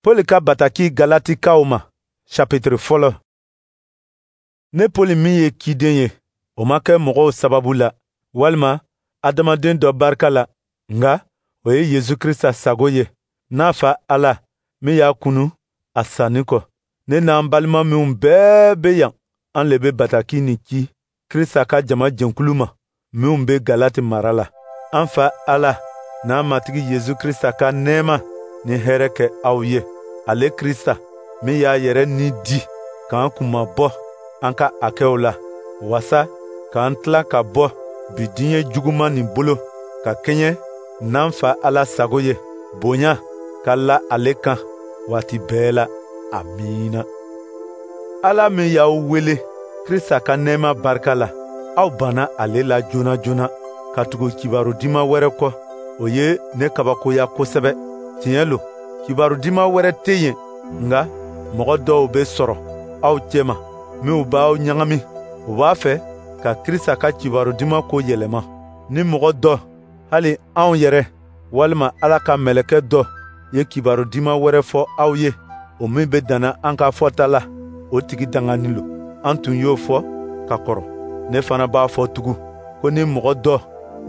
Pɔli ka bataki Galatikaw ma, chapitre fɔlɔ. Ne Pɔli min ye ciden ye, o ma kɛ mɔgɔw sababu la, walima adamaden dɔ barika la, nka o ye Yesu Krista sago ye, n'a Fa Ala min y'a kunu a sanni kɔ. Ne n'an balima minw bɛɛ bɛ yan, an le bɛ bataki nin ci Krista ka jama jɛnkulu ma minw bɛ Galati mara la. An Fa Ala n'an Matigi Yesu Krista ka nɛɛma ni hɛrɛ kɛ aw ye. Ale Krista min y'a yɛrɛ ni di k'an kunmabɔ an ka hakɛw la, wasa k'an tila ka bɔ bi diɲɛ juguman nin bolo ka kɛɲɛ n'an Fa Ala sago ye, bonya ka la ale kan waati bɛɛ la. Amiina. Ala min y'aw wele Krista ka nɛɛma barika la, aw banna ale la joona joona ka tugu kibaru diman wɛrɛ kɔ, o ye ne kabakoya kosɛbɛ. Tiɲɛ lo, kibaru diman wɛrɛ tɛ yen, nka mɔgɔ dɔw bɛ sɔrɔ aw cɛma minw b'aw ɲagami, u b'a fɛ ka Krista ka kibaru diman ko yɛlɛma. Ni mɔgɔ dɔ, hali anw yɛrɛ walima Ala ka mɛlɛkɛ dɔ ye kibaru diman wɛrɛ fɔ aw ye, o min bɛ danna an ka fɔta la, o tigi danganin lo. An tun y'o fɔ ka kɔrɔ, ne fana b'a fɔ tugun ko ni mɔgɔ dɔ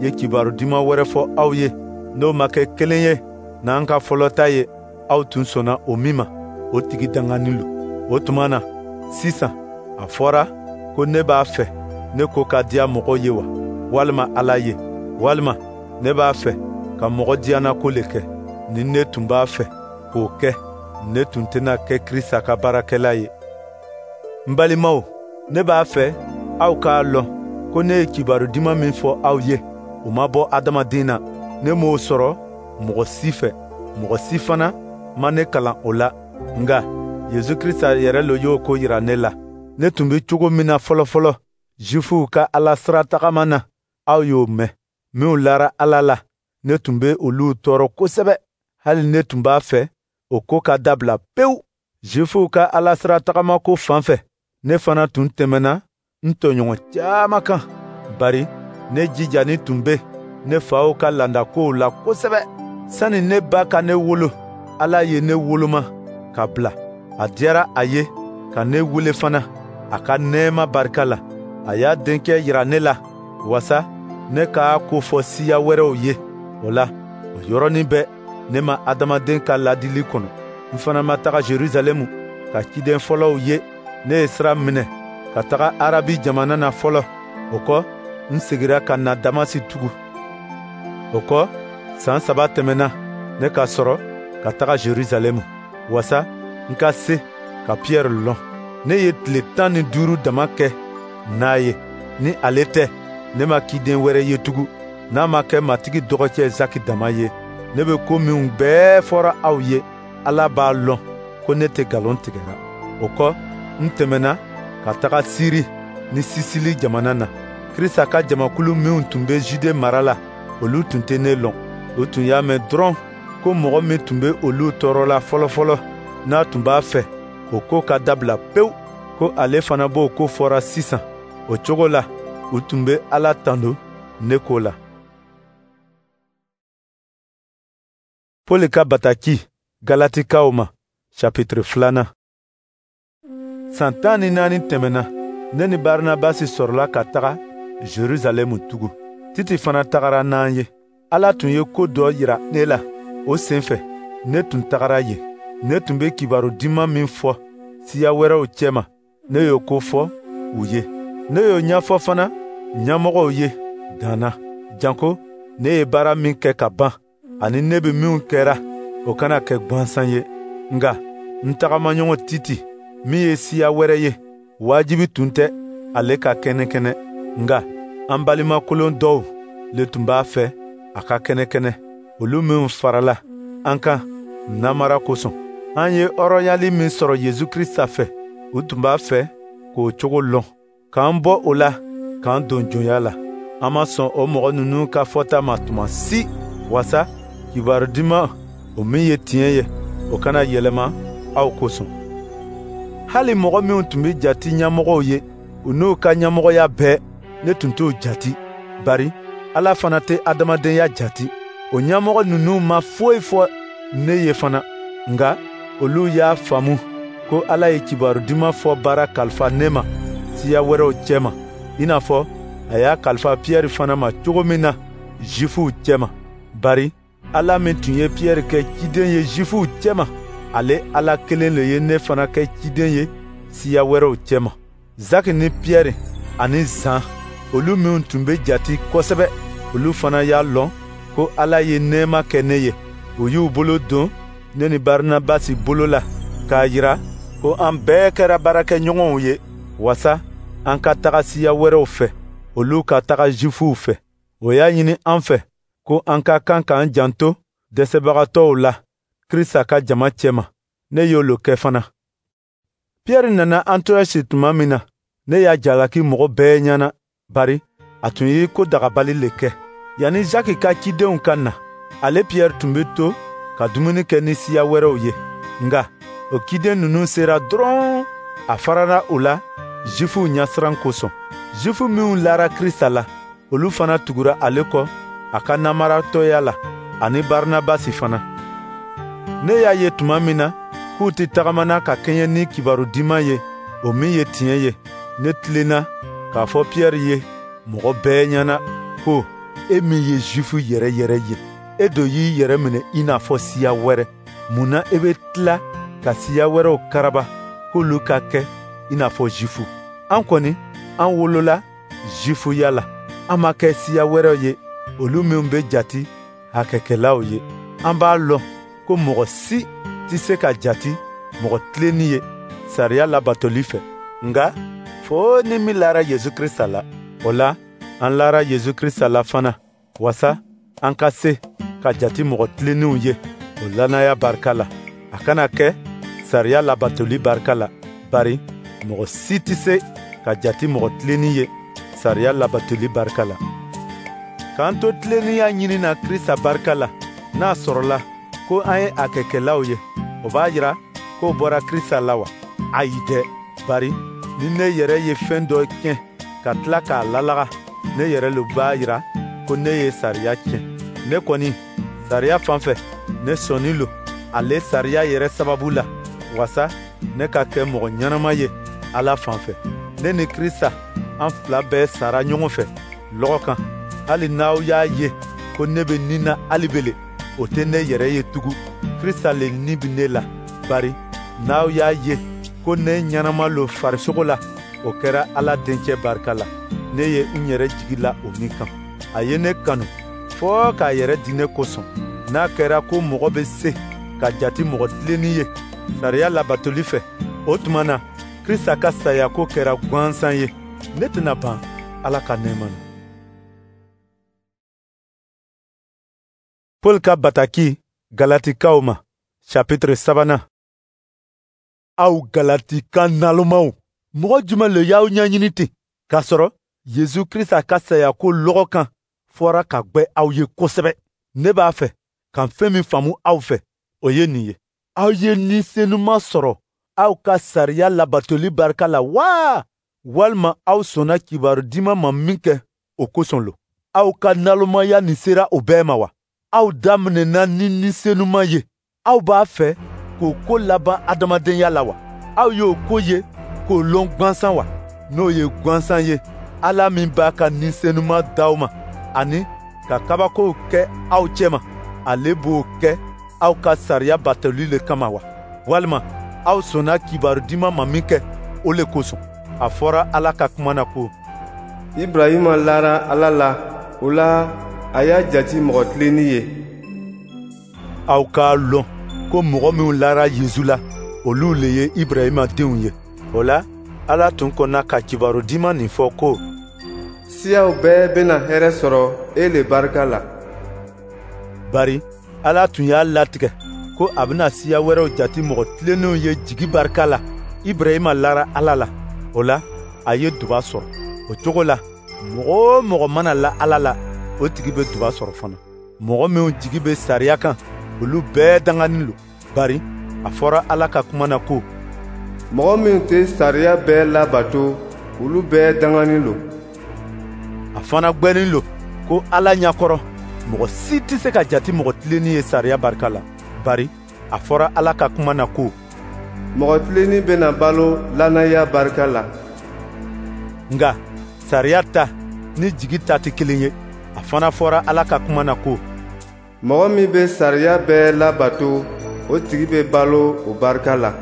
ye kibaru diman wɛrɛ fɔ aw ye, n'o ma kɛ kelen ye n'an ka fɔlɔ ta ye, aw tun sɔnna o min ma, o tigi danganin lo. O tuma na sisan a fɔra ko ne b'a fɛ ne ko ka diya mɔgɔw ye wa, walima Ala ye, walima ne b'a fɛ ka mɔgɔ diyanako le kɛ. Ni ne tun b'a fɛ k'o kɛ, ne tun tɛna kɛ Krista ka baarakɛla ye. N balimaw, ne b'a fɛ aw k'a lɔn ko ne ye kibaru diman min fɔ aw ye, o ma bɔ adamaden na. Ne m'o sɔrɔ mɔgɔ si fɛ, mɔgɔ si fana ma ne kalan o la, nka Yesu Krista yɛrɛ lo y'o ko yira ne la. Ne tun bɛ cogo min na fɔlɔfɔlɔ Zifuw ka Ala sira tagama na, aw y'o mɛn. Minw lara Ala la, ne tun bɛ olu tɔɔrɔ kosɛbɛ, hali ne tun b'a fɛ o ko ka dabila pewu. Zifuw ka Ala sira tagama ko fan fɛ, ne fana tun tɛmɛna n tɔɲɔgɔn caman kan, bari ne jijani tun bɛ ne faw ka laadakow la kosɛbɛ. Sani ne ba ka ne wolo, Ala ye ne woloma ka bila. A diyara a ye ka ne wele fana a ka nɛɛma barika la. A y'a denkɛ yira ne la, wasa ne k'a ko fɔ siya wɛrɛw ye. O la, o yɔrɔnin bɛɛ, ne ma adamaden ka ladili kɔnɔ. N fana ma taga Jerusalɛmu ka ciden fɔlɔw ye. Ne ye sira minɛ ka taga Arabi jamana na fɔlɔ. O kɔ, n segira ka na Damasi tugun. O kɔ, san 3 tɛmɛna, ne ka sɔrɔ ka taga Jerusalɛmu, wasa n ka se ka Piyɛri lɔn. Ne ye tile 15 dama kɛ n'a ye. Ni ale tɛ, ne ma ciden wɛrɛ ye tugun, n'a ma kɛ Matigi dɔgɔcɛ Zaki dama ye. Ne bɛ ko minw bɛɛ fɔra aw ye, Ala b'a lɔn ko ne tɛ nkalon tigɛra. O kɔ, n tɛmɛna ka taga Siri ni Sisili jamana na. Krista ka jamakulu minw tun bɛ Jude mara la, olu tun tɛ ne lɔn. U tun y'a mɛn dɔrɔn ko mɔgɔ min tun bɛ olu tɔɔrɔ la fɔlɔfɔlɔ, n'a tun b'a fɛ o ko ka dabila pewu, ko ale fana b'o ko fɔra sisan. O cogo la, u tun bɛ Ala tando ne ko la. Pɔli ka bataki Galatikaw ma, chapitre 2. San 14 tɛmɛna, ne ni Barinabasi sɔrɔla ka taga Jerusalɛmu tugun. Titi fana tagara n'an ye. Ala tun ye ko dɔ yira ne la, o sen fɛ, ne tun tagara yen. Ne tun bɛ kibaru diman min fɔ siya wɛrɛw cɛma, ne y'o ko fɔ u ye. Ne y'o ɲɛfɔ fana ɲɛmɔgɔw ye dan na, janko ne ye baara min kɛ ka ban, ani ne bɛ minw kɛra, o kana kɛ gwansan ye. Nka n tagamaɲɔgɔn Titi, min ye siya wɛrɛ ye, wajibi tun tɛ ale ka kɛnɛkɛnɛ. Nka an balimakolon dɔw le tun b'a fɛ a ka kɛnɛkɛnɛ, olu minw farala an kan namara kosɔn. An ye hɔrɔnyali min sɔrɔ Yesu Krista fɛ, u tun b'a fɛ k'o cogo lɔn, k'an bɔ o la, k'an don jɔnya la. An ma sɔn o mɔgɔ ninnu ka fɔta ma tuma si, wasa kibaru diman, o min ye tiɲɛ ye, o kana yɛlɛma aw kosɔn. Hali mɔgɔ minw tun bɛ jati ɲɛmɔgɔw ye, u n'u ka ɲɛmɔgɔya bɛɛ, ne tun t'o jati, bari Ala fana tɛ adamadenya jati. O ɲɛmɔgɔ ninnu ma foyi fɔ ne ye fana, nka Olu y'a faamu ko Ala ye Kibaru Duman fɔ baara kalifa ne ma siya wɛrɛw cɛma, i n'a fɔ a y'a kalifa Piyɛri fana ma cogo min na Zifuw cɛma. Bari Ala min tun ye Piyɛri kɛ ciden ye Zifuw cɛma, ale Ala kelen le ye ne fana kɛ ciden ye siya wɛrɛw cɛma. Zaki ni Piyɛri ani Zan, olu minw tun bɛ jati kosɛbɛ, olu fana y'a lɔn ko Ala ye nɛɛma kɛ ne ye. U y'u bolo don ne ni Barinabasi bolo la k'a jira ko an bɛɛ kɛra baarakɛɲɔgɔnw ye, wasa an ka taga siya wɛrɛw fɛ, olu ka taga Zifuw fɛ. O y'a ɲini an fɛ ko an ka kan k'an janto dɛsɛbagatɔw la Krista ka jama cɛma. Ne y'olu kɛ fana. Piyɛri nana Antiyɔsi tuma min na, ne y'a jalaki mɔgɔ bɛɛ ɲɛna, bari a tun ye ko dagabali le kɛ. Yanni Zaki ka cidenw ka na, ale Piyɛri tun bɛ to ka dumuni kɛ ni siya wɛrɛw ye. Nka o ciden ninnu sera dɔrɔn, a farala u la Zifuw ɲɛsiran kosɔn. Zifu minw lara Krista la, olu fana tugura ale kɔ a ka namaratɔya la, ani Barinabasi fana. Ne y'a ye tuma min na k'u tɛ tagamana ka kɛɲɛ ni Kibaru Duman ye, o min ye tiɲɛ ye, ne tilenna k'a fɔ Piyɛri ye mɔgɔ bɛɛ ɲɛna ko e min ye Zifu yɛrɛ yɛrɛ ye, e do y'i yɛrɛ minɛ i n'a fɔ siya wɛrɛ. Mun na e bɛ tila ka siya wɛrɛw karaba k'olu ka kɛ i n'a fɔ Zifu? An kɔni, an wolola Zifuya la, an ma kɛ siya wɛrɛw ye, olu minw bɛ jati hakɛkɛlaw ye. An b'a lɔn ko mɔgɔ si tɛ se ka jati mɔgɔ tilenni ye sariya labatoli fɛ, nka fo ni min lara Yesu Krista la. O la, an lara Yesu Krista la fana, wasa an ka se ka jati mɔgɔ tilenninw ye o lannaya barika la. A kana kɛ sariya labatoli barika la, bari mɔgɔ si tɛ se ka jati mɔgɔ tilenni ye sariya labatoli barika la. K'an to tilennenya ɲini na Krista barika la, n'a sɔrɔla ko an ye a kɛkɛlaw ye, o b'a jira k'o bɔra Krista la wa? Ayi dɛ, bari ni ne yɛrɛ ye fɛn dɔ tiɲɛ ka tila k'a lalaga, ne yɛrɛ le b'a jira ko ne ye sariya tiɲɛ. Ne kɔni, sariya fan fɛ, ne sɔnnin lo ale sariya yɛrɛ sababu la, wasa ne ka kɛ mɔgɔ ɲɛnama ye Ala fan fɛ. Ne ni Krista, an fila bɛɛ sara ɲɔgɔn fɛ lɔgɔ kan. Hali n'aw y'a ye ko ne bɛ ni na hali bele, o tɛ ne yɛrɛ ye tugun. Krista le ni bɛ ne la, bari n'aw y'a ye ko ne ɲɛnama lo farisogo la, o kɛra Ala dencɛ barika la. Ne ye n yɛrɛ jigi la o min kan. A ye ne kanu fɔɔ k'a yɛrɛ di ne kosɔn. N'a kɛra ko mɔgɔ bɛ se ka jati mɔgɔ tilenni ye sariya labatoli fɛ, o tuma na Krista ka saya ko kɛra gansan ye. Ne tɛna ban Ala ka nɛɛma na. Paul ka bataki Galatikaw ma, chapitre 3. Aw Galatika nalomaw, mɔgɔ jumɛn le y'aw ɲɛɲini ten, k'a sɔrɔ Yesu Krista ka saya ko lɔgɔ kan fɔra ka gwɛ aw ye kosɛbɛ? Ne b'a fɛ ka fɛn min faamu aw fɛ, o ye nin ye: aw ye Ni Senuma sɔrɔ aw ka sariya labatoli barika la wa, walima aw sɔnna Kibaru Duman ma min kɛ, o kosɔn lo? Aw ka nalomaya nin sera o bɛɛ ma wa? Aw daminɛna ni Ni Senuma ye, aw b'a fɛ k'o ko laban adamadenya la wa? Aw y'o ko ye k'o lɔn gansan wa? N'o ye gansan ye, Ala min b'a ka Ni Senuma d'aw ma ani ka kabakow kɛ aw cɛma, ale b'o kɛ aw ka sariya batoli le kama wa? Walima aw sɔnna Kibaru Duman ma min kɛ, o le kosɔn? A fɔra Ala ka kuma na ko: Ibrahima lara Ala la, o la a y'a jati mɔgɔ tilenni ye. Aw k'a lɔn ko mɔgɔ minw lara Yesu la, olu le ye Ibrahima denw ye. O la, Ala tun kɔnna ka Kibaru Duman nin fɔ ko: Siyaw bɛɛ bɛna hɛrɛ sɔrɔ e le barika la. Bari Ala tun y'a latigɛ ko a bɛna siya wɛrɛw jati mɔgɔ tilennenw ye jigi barika la. Ibrahima lara Ala la, o la a ye duba sɔrɔ. O cogo la, mɔgɔ o mɔgɔ mana la Ala la, o tigi bɛ duba sɔrɔ fana. Mɔgɔ minw jigi bɛ sariya kan, olu bɛɛ danganin lo, bari a fɔra Ala ka kuma na ko: Mɔgɔ minnu tɛ sariya bɛɛ labato, olu bɛɛ danganin lo. A fana gwɛnin lo ko Ala ɲɛkɔrɔ, mɔgɔ si tɛ se ka jati mɔgɔ tilenni ye sariya barika la, bari A fɔra Ala ka kuma na ko: Mɔgɔ tilennin bɛna balo lannaya barika la. Nka sariya ta ni jigi ta tɛ kelen ye. A fana fɔra Ala ka kuma na ko: Mɔgɔ min bɛ sariya bɛɛ labato, o tigi bɛ balo o barika la.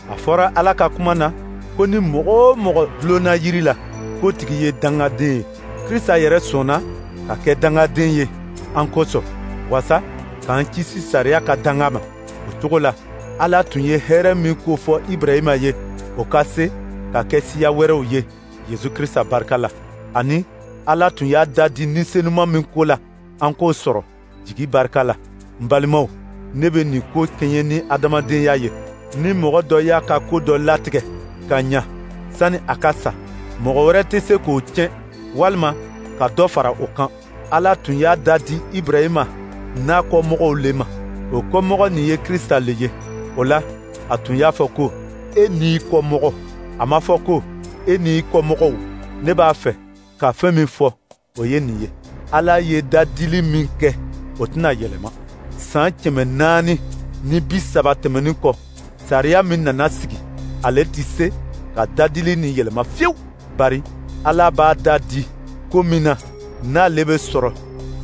A fɔra Ala ka kuma na ko ni mɔgɔ o mɔgɔ dulonna jiri la, k'o tigi ye dangaden ye. Krista yɛrɛ sɔnna ka kɛ dangaden ye an kosɔn, wasa k'an kisi sariya ka danga ma. O cogo la, Ala tun ye hɛrɛ min ko fɔ Ibrahima ye, o ka se ka kɛ siya wɛrɛw ye Yesu Krista barika la. Ani Ala tun y'a da di Ni Senuman min ko la, an k'o sɔrɔ jigi barika la. N balimaw, ne bɛ nin ko kɛɲɛ ni adamadenya ye. Ni mɔgɔ dɔ y'a ka ko dɔ latigɛ ka ɲa sani a ka sa, mɔgɔ wɛrɛ tɛ se k'o tiɲɛ walima ka dɔ fara o kan. Ala tun y'a da di Ibrahima n'a kɔmɔgɔw le ma. O kɔmɔgɔ nin ye Krista le ye. O la, a tun y'a fɔ ko: E n'i kɔmɔgɔ. A ma fɔ ko: E n'i kɔmɔgɔw. Ne b'a fɛ ka fɛn min fɔ, o ye nin ye. Ala ye dadili min kɛ, o tɛna yɛlɛma. San 430 tɛmɛnin kɔ, sariya min nana sigi, ale tɛ se ka dadili nin yɛlɛma fiyewu. Bari Ala b'a da di ko min na, n'ale bɛ sɔrɔ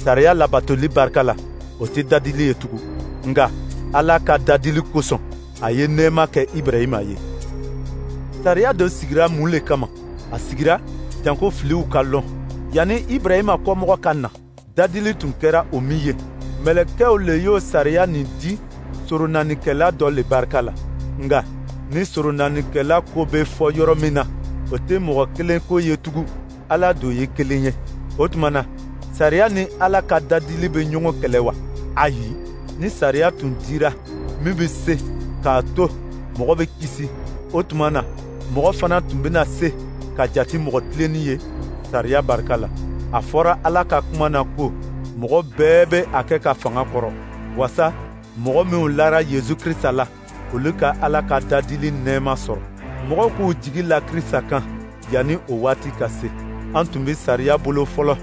sariya labatoli barika la, o tɛ dadili ye tugun. Nka Ala ka dadili kosɔn, a ye nɛɛma kɛ Ibrahima ye. Sariya dɔ sigira mun le kama? A sigira janko filiw ka lɔn. Yanni Ibrahima kɔmɔgɔ ka na, dadili tun kɛra o min ye, mɛlɛkɛw le y'o sariya nin di soronanikɛla dɔ le barika la. Nka ni soronanikɛla ko bɛ fɔ yɔrɔ min na, o tɛ mɔgɔ kelen ko ye tugun, Ala do ye kelen ye. O tuma na, sariya ni Ala ka dadili bɛ ɲɔgɔn kɛlɛ wa? Ayi, ni sariya tun dira min bɛ se k'a to mɔgɔ bɛ kisi, o tuma na mɔgɔ fana tun bɛna se ka jate mɔgɔ tilennin ye sariya barika la. A fɔra Ala ka kuma na ko mɔgɔ bɛɛ bɛ a kɛ ka fanga kɔrɔ, wasa mɔgɔ minnu lara Yesu Krista la, olu ka Ala ka dadili nɛɛma sɔrɔ. Mɔgɔw k'u jigi la Krista kan yanni o waati ka se. An tun bɛ sariya bolo fɔlɔ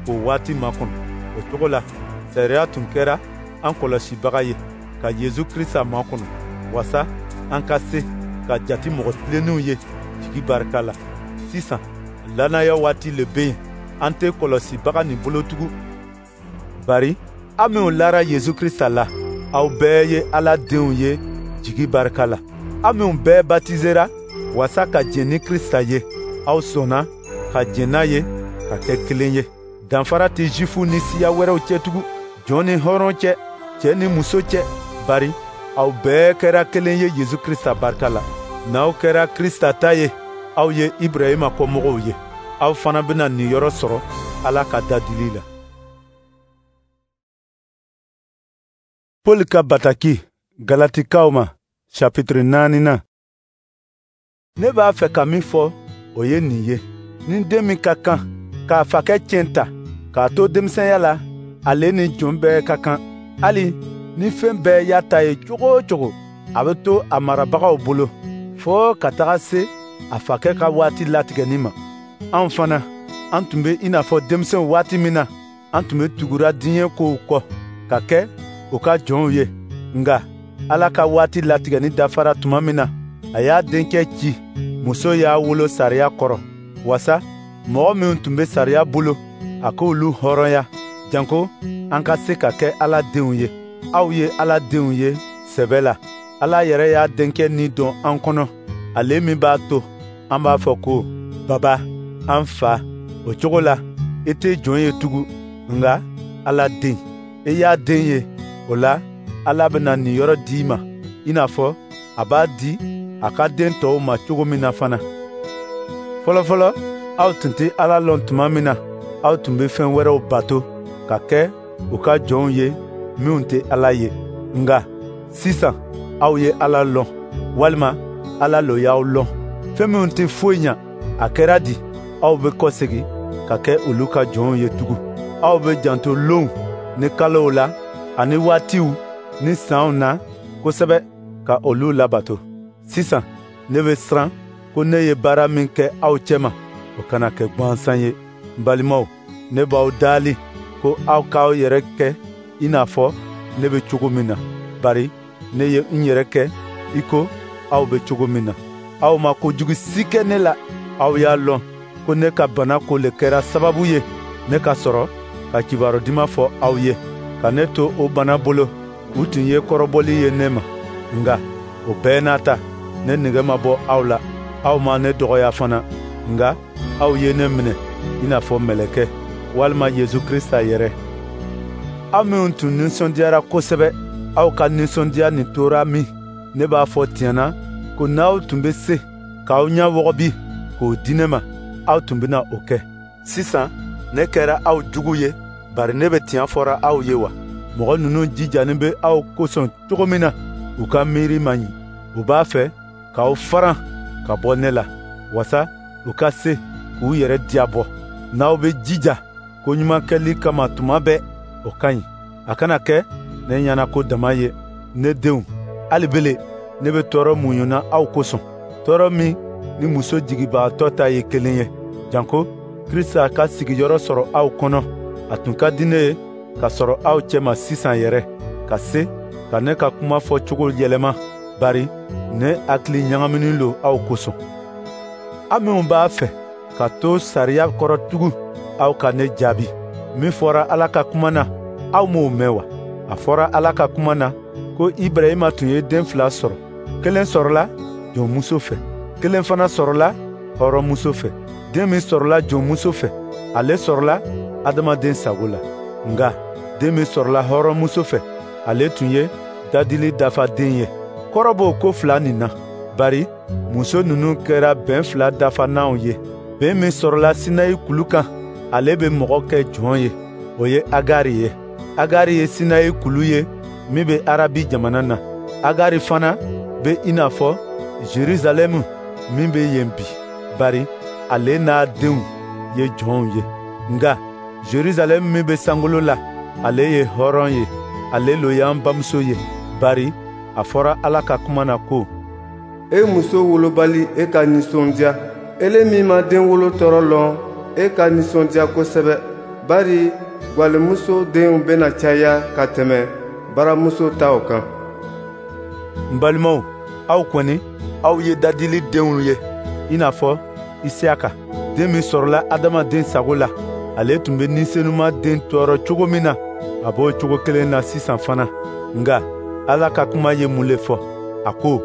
k'o waati makɔnɔ. O cogo la, sariya tun kɛra an kɔlɔsibaga ye ka Yesu Krista makɔnɔ, wasa an ka se ka jate mɔgɔ tilennenw ye jigi barika la. Sisan, lannaya waati le bɛ yen, an tɛ kɔlɔsibaga nin bolo tugun. Bari aw minnu lara Yesu Krista la, aw bɛɛ ye Ala denw ye jigi barika la. Aw minnu bɛɛ batizera wasa ka jɛn ni Krista ye, aw sɔnna ka jɛn n'a ye ka kɛ kelen ye. Danfara tɛ Zifuw ni siya wɛrɛw cɛ tugun, jɔn ni hɔrɔn cɛ, cɛ ni muso cɛ, bari aw bɛɛ kɛra kelen ye Yesu Krista barika la. N'aw kɛra Krista ta ye, aw ye Ibrahima kɔmɔgɔw ye. Aw fana bɛna niyɔrɔ sɔrɔ Ala ka dadili la. Paul ka bataki Galatikaw ma, chapitre 4. Ne b'a fɛ ka min fɔ, o ye nin ye. Ni den min ka kan k'a fakɛ tiɲɛ ta k'a to denmisɛnya la, ale ni jɔn bɛɛ ka kan. Hali ni fɛn bɛɛ y'a ta ye cogo o cogo, a bɛ to a marabagaw bolo fo ka taga se a fakɛ ka waati latigɛni ma. Anw fana, an tun bɛ i n'a fɔ denmisɛnw waati min na, an tun bɛ tugura diɲɛ kow kɔ ka kɛ u ka jɔnw ye. Nka Ala ka waati latigɛni dafara tuma min na, a y'a denkɛ ci, muso y'a wolo sariya kɔrɔ, wasa mɔgɔ minnu tun bɛ sariya bolo, a k'olu hɔrɔnya, janko an ka se ka kɛ Ala denw ye. Aw ye Ala denw ye sɛbɛ la. Ala yɛrɛ y'a denkɛ ni don an kɔnɔ, ale min b'a to an b'a fɔ ko: Baba, an fa. O cogo la, i tɛ jɔn ye tugun, nka Ala den. I y'a den ye, o la Ala bɛna niyɔrɔ di i ma, i n'a fɔ a b'a di a ka den tɔw ma cogo min na fana. Fɔlɔfɔlɔ, aw tun tɛ Ala lɔn tuma min na, aw tun bɛ fɛn wɛrɛw bato ka kɛ u ka jɔnw ye minnu tɛ Ala ye. Nka sisan aw ye Ala lɔn, walima Ala lo y'aw lɔn. Fɛn minnu tɛ foyi ɲa, a kɛra di aw bɛ kɔsegin ka kɛ olu ka jɔnw ye tugun. Aw bɛ janto lonw ni kalow la ani waatiw ni sanw na kosɛbɛ ka olu labato. Sisan ne bɛ siran ko ne ye baara min kɛ aw cɛma, o kana kɛ gansan ye. N balimaw, ne b'aw daali ko aw k'aw yɛrɛ kɛ i n'a fɔ ne bɛ cogo min na. Bari ne ye n yɛrɛ kɛ i ko aw bɛ cogo min na. Aw ma kojugu si kɛ ne la. Aw y'a lɔn ko ne ka bana ko le kɛra sababu ye ne ka sɔrɔ ka kibaru duman fɔ aw ye. Ka ne to o bana bolo, u tun ye kɔrɔbɔli ye ne ma. Nka o bɛɛ n'a ta, ne nege ma bɔ aw la. Aw ma ne dɔgɔya fana, nka aw ye ne minɛ i n'a fɔ mɛlɛkɛ walima Yesu Krista yɛrɛ. Aw minnu tun nisɔndiyara kosɛbɛ, aw ka nisɔndiya nin tora min? Ne b'a fɔ tiɲɛ na ko n'aw tun bɛ se k'aw ɲɛ wɔgɔbi k'o di ne ma, aw tun bɛna o kɛ. Sisan ne kɛra aw jugu ye, bari ne bɛ tiɲɛ fɔra aw ye wa? Mɔgɔ ninnu jijanin bɛ aw kosɔn cogo min na, u ka miiri man ɲi. U b'a fɛ k'aw faran ka bɔ ne la, wasa u ka se k'u yɛrɛ diyabɔ. N'aw bɛ jija ko ɲuman kɛli kama tuma bɛɛ, o ka ɲi. A kana kɛ ne ɲɛnako dama ye, ne denw. Hali bele ne bɛ tɔɔrɔ muɲuna aw kosɔn, tɔɔrɔ min ni muso jigibagatɔ ta ye kelen ye, janko Krista ka sigiyɔrɔ sɔrɔ aw kɔnɔ. A tun ka di ne ye ka sɔrɔ aw cɛma sisan yɛrɛ, ka se ka ne ka kuma fɔ cogo yɛlɛma, bari ne hakili ɲagaminen lo aw kosɔn. Aw minnu b'a fɛ ka to sariya kɔrɔ tugun, aw ka ne jaabi. Min fɔra Ala ka kuma na, aw m'o mɛn wa? A fɔra Ala ka kuma na ko Ibrahima tun ye den fila sɔrɔ. Kelen sɔrɔla jɔnmuso fɛ, kelen fana sɔrɔla hɔrɔnmuso fɛ. Den min sɔrɔla jɔnmuso fɛ, ale sɔrɔla adamaden sago la. Nka den min sɔrɔla hɔrɔnmuso fɛ, ale tun ye dadili dafaden ye. Kɔrɔ b'o ko fila nin na, bari muso ninnu kɛra bɛn fila dafananw ye. Bɛn min sɔrɔla Sinayi kulu kan, ale bɛ mɔgɔ kɛ jɔn ye, o ye Agari ye. Agari ye Sinayi kulu ye min bɛ Arabi jamana na. Agari fana bɛ i n'a fɔ Jerusalɛmu min bɛ yen bi, bari ale n'a denw ye jɔnw ye. Nka Jerusalɛmu min bɛ sankolo la, ale ye hɔrɔn ye, ale lo y'an bamuso ye, bari a fɔra Ala ka kuma na ko: E muso wolobali, e ka nisɔndiya. Ele min ma den wolo tɔɔrɔ lɔn, e ka nisɔndiya kosɛbɛ, bari gwalemuso denw bɛna caya ka tɛmɛ baramuso taw kan. N balimaw, aw kɔni, aw ye dadili denw ye, i n'a fɔ Isiyaka. Den min sɔrɔla adamaden sago la, ale tun bɛ Ni Senuma den tɔɔrɔ cogo min na, a b'o cogo kelen na sisan fana. Nka Ala ka kuma ye mun le fɔ? A ko: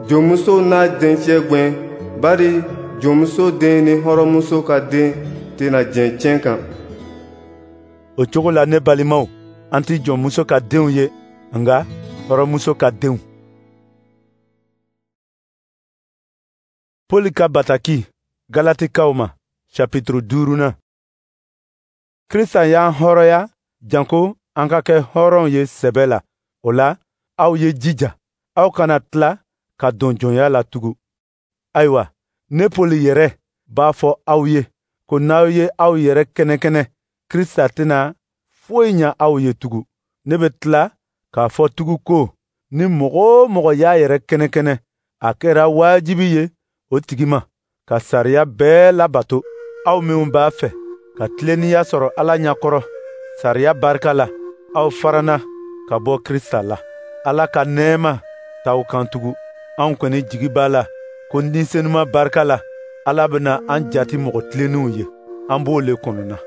Jɔnmuso n'a dencɛ gwɛn, bari jɔnmuso den ni hɔrɔnmuso ka den tɛna jɛn tiɲɛ kan. O cogo la, ne balimaw, an tɛ jɔnmuso ka denw ye, nka hɔrɔnmuso ka denw. Poli ka bataki Galatikaw ma, chapitre 5. Krista y'an hɔrɔnya janko an ka kɛ hɔrɔnw ye sɛbɛ la. O la, aw ye jija, aw kana tila ka don jɔnya la tugun. Ayiwa, ne Poli yɛrɛ b'a fɔ aw ye ko n'aw ye aw yɛrɛ kɛnɛkɛnɛ, Krista tɛna foyi ɲa aw ye tugun. Ne bɛ tila k'a fɔ tugun ko ni mɔgɔ o mɔgɔ y'a yɛrɛ kɛnɛkɛnɛ, a kɛra wajibi ye o tigi ma ka sariya bɛɛ labato. Aw minnu b'a fɛ ka tilennenya sɔrɔ Ala ɲɛkɔrɔ sariya barika la, aw farana ka bɔ Krista la. Ala ka nɛɛma t'aw kan tugun. Anw kɔni jigi b'a la ko Ni Senuma barika la, Ala bɛna an jati mɔgɔ tilennenw ye. An b'o le kɔnɔna.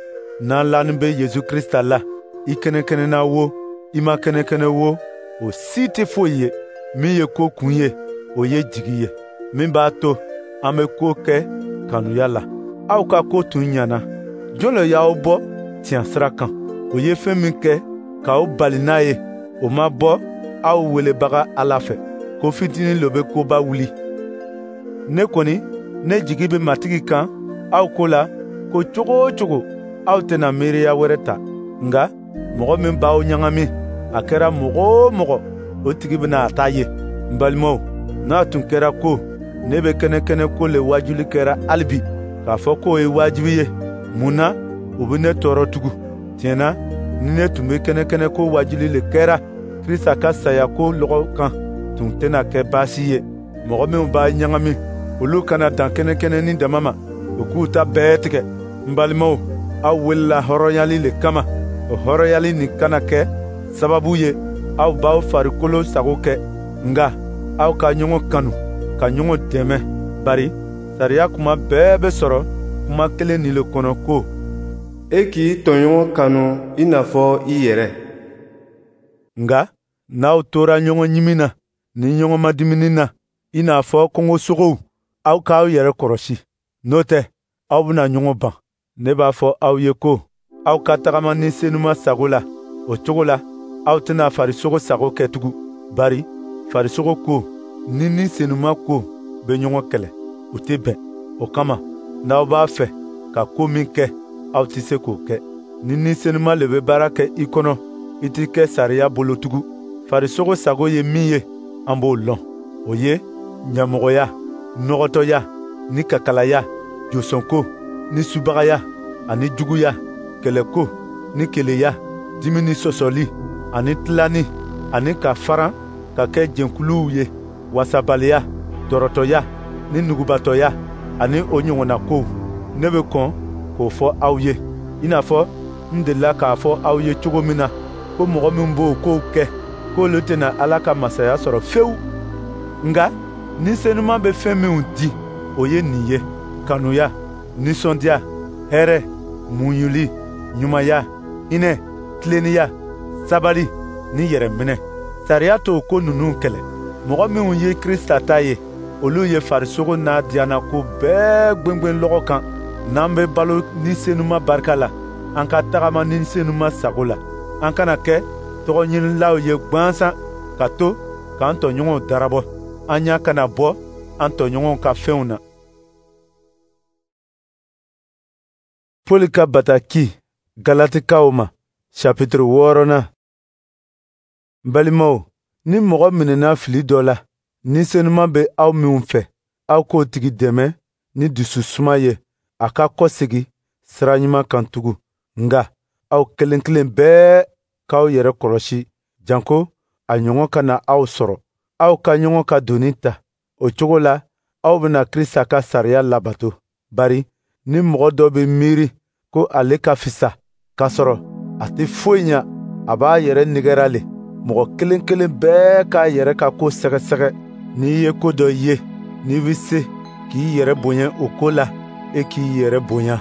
N'an lanin bɛ Yesu Krista la, i kɛnɛkɛnɛna wo, i ma kɛnɛkɛnɛ wo, o si tɛ foyi ye. Min ye ko kun ye, o ye jigi ye, min b'a to an bɛ ko kɛ kanuya la. Aw ka ko tun ɲana. Jɔn le y'aw bɔ tiɲɛ sira kan? O ye fɛn min kɛ k'aw bali n'a ye, o ma bɔ aw welebaga Ala fɛ. Ko fitinin lo bɛ koba wuli. Ne kɔni, ne jigi bɛ Matigi kan aw ko la ko cogo o cogo aw tɛna miiriya wɛrɛ ta. Nka mɔgɔ min b'aw ɲagami, a kɛra mɔgɔ o mɔgɔ, o tigi bɛna a ta ye. N balimaw, n'a tun kɛra ko ne bɛ kɛnɛkɛnɛ ko le wajuli kɛra hali bi, k'a fɔ k'o ye wajibi ye, mun na u bɛ ne tɔɔrɔ tugun? Tiɲɛ na, ni ne tun bɛ kɛnɛkɛnɛ ko wajuli le kɛra, Krista ka saya ko lɔgɔ kan tun tɛna kɛ baasi ye. Mɔgɔ minnu b'a ɲagami, olu kana dan kɛnɛkɛnɛni dama ma, u k'u ta bɛɛ tigɛ. N balimaw, aw welela hɔrɔnyali le kama. O hɔrɔnyali nin kana kɛ sababu ye Aw b'aw farikolo sago kɛ, nka aw ka ɲɔgɔn kanu, ka ɲɔgɔn dɛmɛ, bari sariya kuma bɛɛ bɛ sɔrɔ kuma kelen nin le kɔnɔ ko: E k'i tɔɲɔgɔn kanu i n'a fɔ i yɛrɛ. Nka n'aw tora ɲɔgɔn ɲimi na ni ɲɔgɔn madimini na, i n'a fɔ kungosogow, aw k'aw yɛrɛ kɔlɔsi, n'o tɛ aw bɛna ɲɔgɔn ban. Ne b'a fɔ aw ye ko aw ka tagama Ni Senuma sago la, o cogo la aw tɛna farisogo sago kɛ tugun. Bari farisogo ko ni Ni Senuma ko bɛ ɲɔgɔn kɛlɛ, u tɛ bɛn. O kama, n'aw b'a fɛ ka ko min kɛ, aw tɛ se k'o kɛ. Ni Ni Senuma le bɛ baara kɛ i kɔnɔ, i tɛ kɛ sariya bolo tugun. Farisogo sago ye min ye, an b'o lɔn. O ye ɲamɔgɔya, nɔgɔtɔya, ni kakalaya, josɔnko, ni subagaya, ani juguya, kɛlɛko, ni keleya, dimi ni sɔsɔli, ani tilani, ani ka faran ka kɛ jɛnkuluw ye, wasabaliya, dɔrɔtɔya, ni nugubatɔya, ani o ɲɔgɔnna kow. Ne bɛ kɔn k'o fɔ aw ye, i n'a fɔ n delila k'a fɔ aw ye cogo min na, ko mɔgɔ min b'o kow kɛ, k'olu tɛna Ala ka masaya sɔrɔ fewu. Nka Ni Senuma bɛ fɛn minw di, o ye nin ye: kanuya, nisɔndiya, hɛrɛ, muɲuli, ɲumanya, hinɛ, tilennenya, sabali ni yɛrɛminɛ. Sariya t'o ko ninnu kɛlɛ. Mɔgɔ minnu ye Krista ta ye, olu ye farisogo n'a diyannako bɛɛ gwengwen lɔgɔ kan. N'an bɛ balo Ni Senuma barika la, an ka tagama Ni Senuma sago la. An kana kɛ tɔgɔɲinilaw ye gwansan ka to k'an tɔɲɔgɔnw darabɔ. An ɲa kana bɔ an tɔɲɔgɔnw ka fɛnw na. Pɔli ka bataki Galatikaw ma, chapitre 6nan. Balimaw, ni mɔgɔ minɛna fili dɔ la, Ni Senuma bɛ aw minw fɛ, aw k'o tigi dɛmɛ ni dususuma ye, a ka kɔsegi sira ɲuman kan tugun. Nka aw kelen kelen bɛɛ k'aw yɛrɛ kɔlɔsi, janko a ɲɔgɔn kana aw sɔrɔ. Aw ka ɲɔgɔn ka doni ta, o cogo la aw bɛna Krista ka sariya labato. Bari ni mɔgɔ dɔ bɛ miiri ko ale ka fisa, k'a sɔrɔ a tɛ foyi ɲa, a b'a yɛrɛ nɛgɛra le. Mɔgɔ kelen kelen bɛɛ k'a yɛrɛ ka ko sɛgɛsɛgɛ. N'i ye ko dɔ ye, n'i bɛ se k'i yɛrɛ bonya o ko la, e k'i yɛrɛ bonya,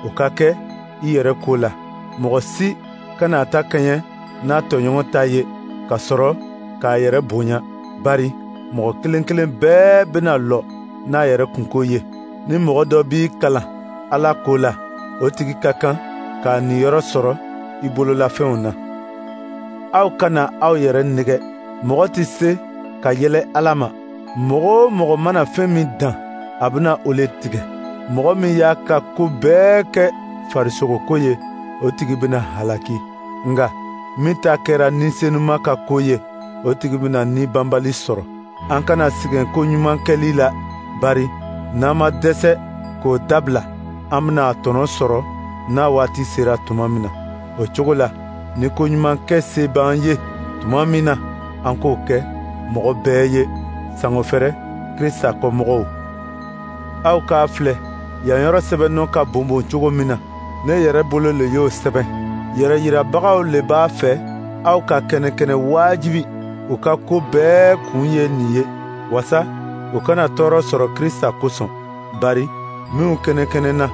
o ka kɛ i yɛrɛ ko la. Mɔgɔ si kana ta kɛɲɛ n'a tɔɲɔgɔn ta ye, ka sɔrɔ k'a yɛrɛ bonya. Bari mɔgɔ kelen kelen bɛɛ bɛna lɔ n'a yɛrɛ kunko ye. Ni mɔgɔ dɔ b'i kalan Ala ko la, o tigi ka kan k'a niyɔrɔ sɔrɔ i bololafɛnw na. Aw kana aw yɛrɛ nɛgɛ. Mɔgɔ tɛ se ka yɛlɛ Ala ma. Mɔgɔ o mɔgɔ mana fɛn min dan, a bɛna o le tigɛ. Mɔgɔ min y'a ka ko bɛɛ kɛ farisogoko ye, o tigi bɛna halaki. Nka min ta kɛra Ni Senuma ka ko ye, o tigi bɛna ni banbali sɔrɔ. An kana sɛgɛn ko ɲuman kɛli la, bari n'an ma dɛsɛ k'o dabila, an bɛna a tɔnɔ sɔrɔ n'a waati sera tuma min na. O cogo la, ni ko ɲuman kɛ se b'an ye tuma min na, an k'o kɛ mɔgɔ bɛɛ ye, sango fɛrɛ Krista kɔmɔgɔw. Aw k'a filɛ, yan yɔrɔ sɛbɛnnɔ ka bonbon cogo min na, ne yɛrɛ bolo le y'o sɛbɛn. Yɛrɛyirabagaw le b'a fɛ aw ka kɛnɛkɛnɛ wajibi. U ka ko bɛɛ kun ye nin ye, wasa u kana tɔɔrɔ sɔrɔ Krista kosɔn. Bari minw kɛnɛkɛnɛna,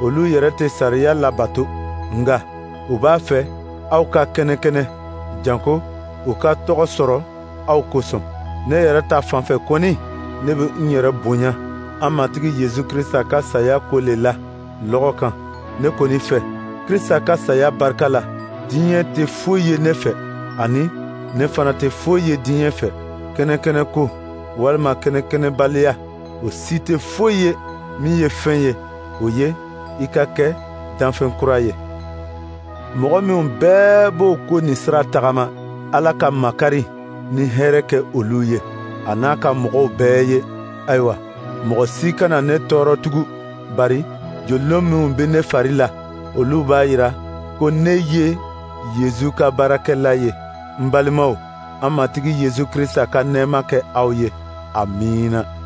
olu yɛrɛ tɛ sariya labato, nka u b'a fɛ aw ka kɛnɛkɛnɛ, janko u ka tɔgɔ sɔrɔ aw kosɔn. Ne yɛrɛ ta fanfɛ kɔni, ne bɛ n yɛrɛ bonya an Matigi Yesu Krista ka saya ko le la lɔgɔ kan. Ne kɔni fɛ, Krista ka saya barika la, diɲɛ tɛ foyi ye ne fɛ, ani ne fana tɛ foyi ye diɲɛ fɛ. Kɛnɛkɛnɛ ko walima kɛnɛkɛnɛbaliya, o si tɛ foyi ye. Min ye fɛn ye, o ye i ka kɛ danfɛn kura ye. Mɔgɔ minw bɛɛ b'o ko nin sira tagama, Ala ka makari ni hɛrɛ kɛ olu ye, a n'a ka mɔgɔw bɛɛ ye. Ayiwa, mɔgɔ si kana ne tɔɔrɔ tugun, bari jolilon minw bɛ ne fari la, olu b'a yira ko ne ye Yezu ka baarakɛla ye. N balimaw, an Matigi Yezu Krista ka nɛɛma kɛ aw ye. Amiina.